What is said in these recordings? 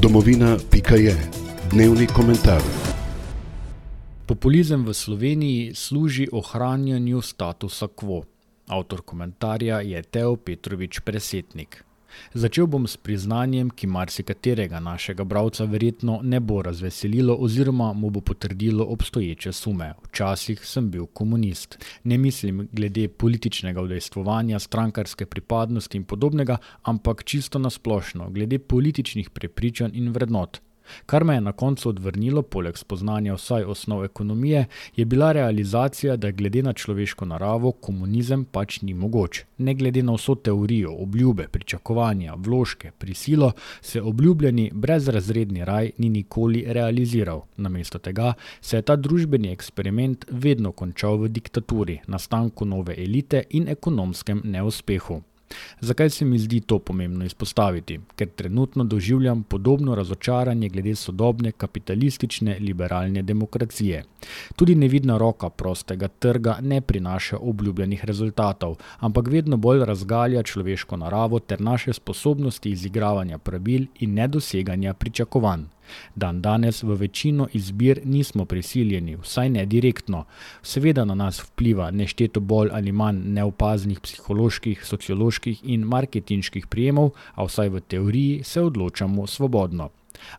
Domovina.je. Dnevni komentar. Populizem v Sloveniji služi ohranjanju statusa quo. Avtor komentarja je Teo Petrovič Presetnik. Začel bom s priznanjem, ki marsikaterega našega bralca verjetno ne bo razveselilo oziroma mu bo potrdilo obstoječe sume. Včasih sem bil komunist. Ne mislim glede političnega udejstvovanja, strankarske pripadnosti in podobnega, ampak čisto nasplošno, glede političnih prepričanj in vrednot. Kar me je na koncu odvrnilo, poleg spoznanja vsaj osnov ekonomije, je bila realizacija, da glede na človeško naravo komunizem pač ni mogoč. Ne glede na vso teorijo, obljube, pričakovanja, vložke, prisilo, se obljubljeni brezrazredni raj ni nikoli realiziral. Namesto tega se je ta družbeni eksperiment vedno končal v diktaturi, nastanku nove elite in ekonomskem neuspehu. Zakaj se mi zdi to pomembno izpostaviti? Ker trenutno doživljam podobno razočaranje glede sodobne kapitalistične liberalne demokracije. Tudi nevidna roka prostega trga ne prinaša obljubljenih rezultatov, ampak vedno bolj razgalja človeško naravo ter naše sposobnosti izigravanja pravil in nedoseganja pričakovanj. Danes v večino izbir nismo prisiljeni, vsaj ne direktno. Seveda na nas vpliva nešteto bolj ali manj neopaznih psiholoških, socioloških in marketinških prijemov, a vsaj v teoriji se odločamo svobodno.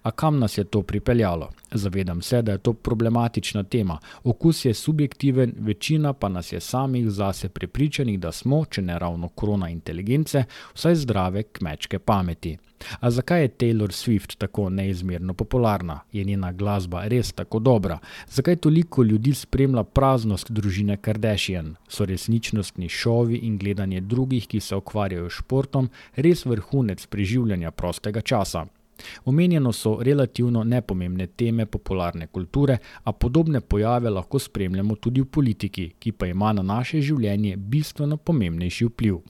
A kam nas je to pripeljalo? Zavedam se, da je to problematična tema. Okus je subjektiven, večina pa nas je samih zase prepričanih, da smo, če ne ravno krona inteligence, vsaj zdrave kmečke pameti. A zakaj je Taylor Swift tako neizmerno popularna? Je njena glasba res tako dobra? Zakaj toliko ljudi spremlja praznost družine Kardashian? So resničnostni šovi in gledanje drugih, ki se ukvarjajo s športom, res vrhunec preživljanja prostega časa? Omenjeno so relativno nepomembne teme popularne kulture, a podobne pojave lahko spremljamo tudi v politiki, ki pa ima na naše življenje bistveno pomembnejši vpliv.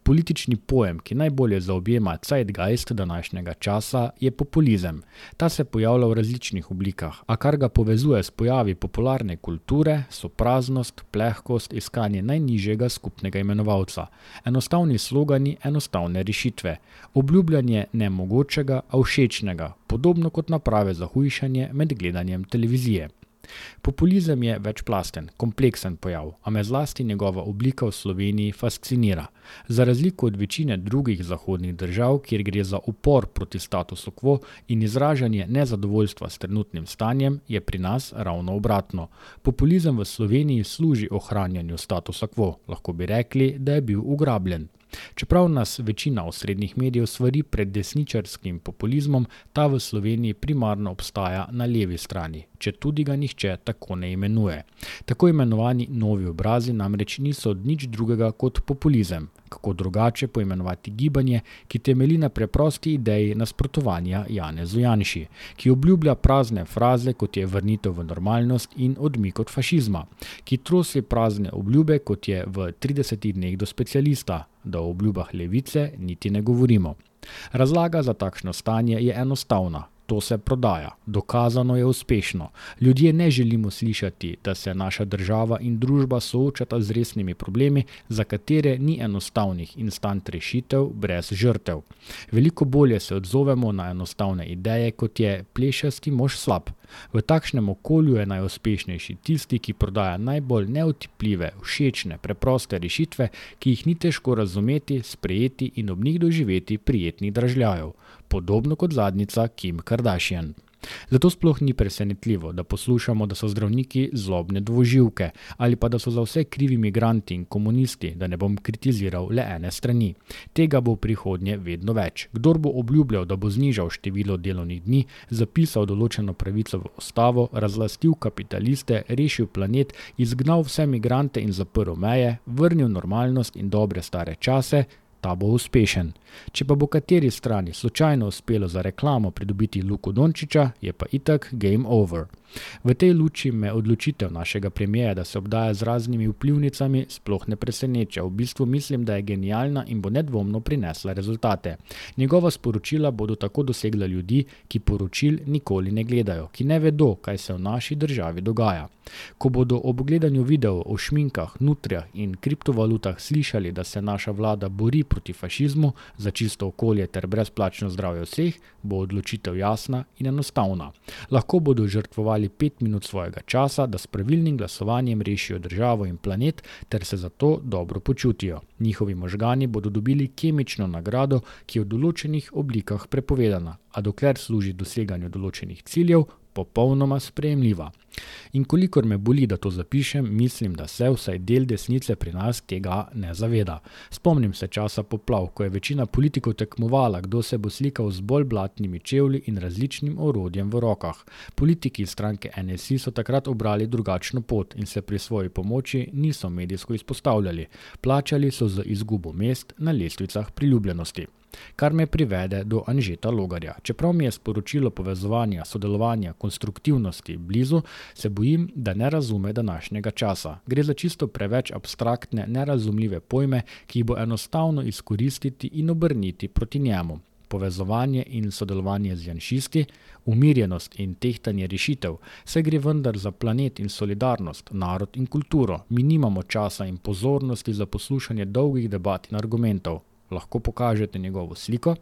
Politični pojem, ki najbolje zaobjema zeitgeist današnjega časa, je populizem. Ta se pojavlja v različnih oblikah, a kar ga povezuje s pojavi popularne kulture, so praznost, plehkost, iskanje najnižjega skupnega imenovalca. Enostavni slogani, enostavne rešitve. Obljubljanje nemogočega, a všečnega, podobno kot naprave za hujšanje med gledanjem televizije. Populizem je večplasten, kompleksen pojav, a me zlasti njegova oblika v Sloveniji fascinira. Za razliko od večine drugih zahodnih držav, kjer gre za upor proti statusu quo in izražanje nezadovoljstva s trenutnim stanjem, je pri nas ravno obratno. Populizem v Sloveniji služi ohranjanju statusa quo, lahko bi rekli, da je bil ugrabljen. Čeprav nas večina osrednjih medijev svari pred desničarskim populizmom, ta v Sloveniji primarno obstaja na levi strani, četudi ga nihče tako ne imenuje. Tako imenovani novi obrazi namreč niso nič drugega kot populizem. Kako drugače poimenovati gibanje, ki temelji na preprosti ideji nasprotovanja Janezu Janši, ki obljublja prazne fraze, kot je vrnitev v normalnost in odmik od fašizma, ki trosi prazne obljube, kot je v 30 dneh do specialista, da o obljubah levice niti ne govorimo. Razlaga za takšno stanje je enostavna. To se prodaja. Dokazano je uspešno. Ljudje ne želimo slišati, da se naša država in družba soočata z resnimi problemi, za katere ni enostavnih instant rešitev brez žrtev. Veliko bolje se odzovemo na enostavne ideje, kot je plešasti mož slab. V takšnem okolju je najuspešnejši tisti, ki prodaja najbolj neotipljive, všečne, preproste rešitve, ki jih ni težko razumeti, sprejeti in ob njih doživeti prijetnih dražljajev. Podobno kot zadnjica Kim Kardashian. Zato sploh ni presenetljivo, da poslušamo, da so zdravniki zlobne dvoživke ali pa da so za vse krivi migranti in komunisti, da ne bom kritiziral le ene strani. Tega bo v prihodnje vedno več. Kdor bo obljubljal, da bo znižal število delovnih dni, zapisal določeno pravico v ustavo, razlastil kapitaliste, rešil planet, izgnal vse migrante in zaprl meje, vrnil normalnost in dobre stare čase, ta bo uspešen. Če pa bo kateri strani slučajno uspelo za reklamo pridobiti Luko Dončića, je pa itak game over. V tej luči me odločitev našega premierja, da se obdaja z raznimi vplivnicami, sploh ne preseneča. V bistvu mislim, da je genialna in bo nedvomno prinesla rezultate. Njegova sporočila bodo tako dosegla ljudi, ki poročil nikoli ne gledajo, ki ne vedo, kaj se v naši državi dogaja. Ko bodo ob gledanju videov o šminkah, nutrijah in kriptovalutah slišali, da se naša vlada bori proti fašizmu, za čisto okolje ter brezplačno zdravje vseh, bo odločitev jasna in enostavna. Lahko bodo žrtvovali 5 minut svojega časa, da s pravilnim glasovanjem rešijo državo in planet ter se zato dobro počutijo. Njihovi možgani bodo dobili kemično nagrado, ki je v določenih oblikah prepovedana, a dokler služi doseganju določenih ciljev, popolnoma sprejemljiva. In kolikor me boli, da to zapišem, mislim, da se vsaj del desnice pri nas tega ne zaveda. Spomnim se časa poplav, ko je večina politikov tekmovala, kdo se bo slikal z bolj blatnimi čevlji in različnim orodjem v rokah. Politiki iz stranke NSI so takrat obrali drugačno pot in se pri svoji pomoči niso medijsko izpostavljali. Plačali so z izgubo mest na lestvicah priljubljenosti. Kar me privede do Anžeta Logarja. Čeprav mi je sporočilo povezovanja, sodelovanja, konstruktivnosti blizu, se bojim, da ne razume današnjega časa. Gre za čisto preveč abstraktne, nerazumljive pojme, ki jih bo enostavno izkoristiti in obrniti proti njemu. Povezovanje in sodelovanje z janšisti, umirjenost in tehtanje rešitev, saj gre vendar za planet in solidarnost, narod in kulturo. Mi nimamo časa in pozornosti za poslušanje dolgih debat in argumentov. Lahko pokažete njegovo sliko?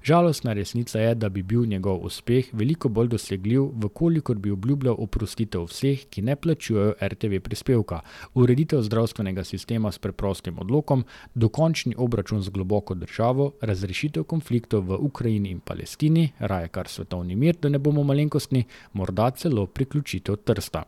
Žalostna resnica je, da bi bil njegov uspeh veliko bolj dosegljiv, vkolikor bi obljubljal oprostitev vseh, ki ne plačujejo RTV prispevka, ureditev zdravstvenega sistema s preprostim odlokom, dokončni obračun z globoko državo, razrešitev konfliktov v Ukrajini in Palestini, raje kar svetovni mir, da ne bomo malenkostni, morda celo priključitev Trsta.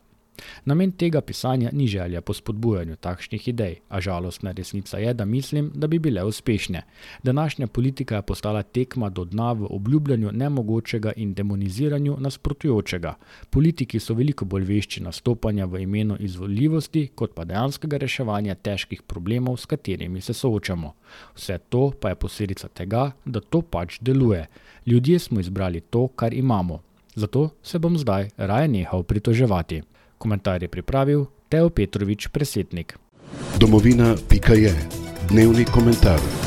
Namen tega pisanja ni želja po spodbujanju takšnih idej, a žalostna resnica je, da mislim, da bi bile uspešne. Današnja politika je postala tekma do dna v obljubljanju nemogočega in demoniziranju nasprotujočega. Politiki so veliko bolj vešči nastopanja v imenu izvoljivosti, kot pa dejanskega reševanja težkih problemov, s katerimi se soočamo. Vse to pa je posledica tega, da to pač deluje. Ljudje smo izbrali to, kar imamo. Zato se bom zdaj raje nehal pritoževati. Komentar je pripravil Teo Petrovič Presetnik. Domovina.je. Dnevni komentar.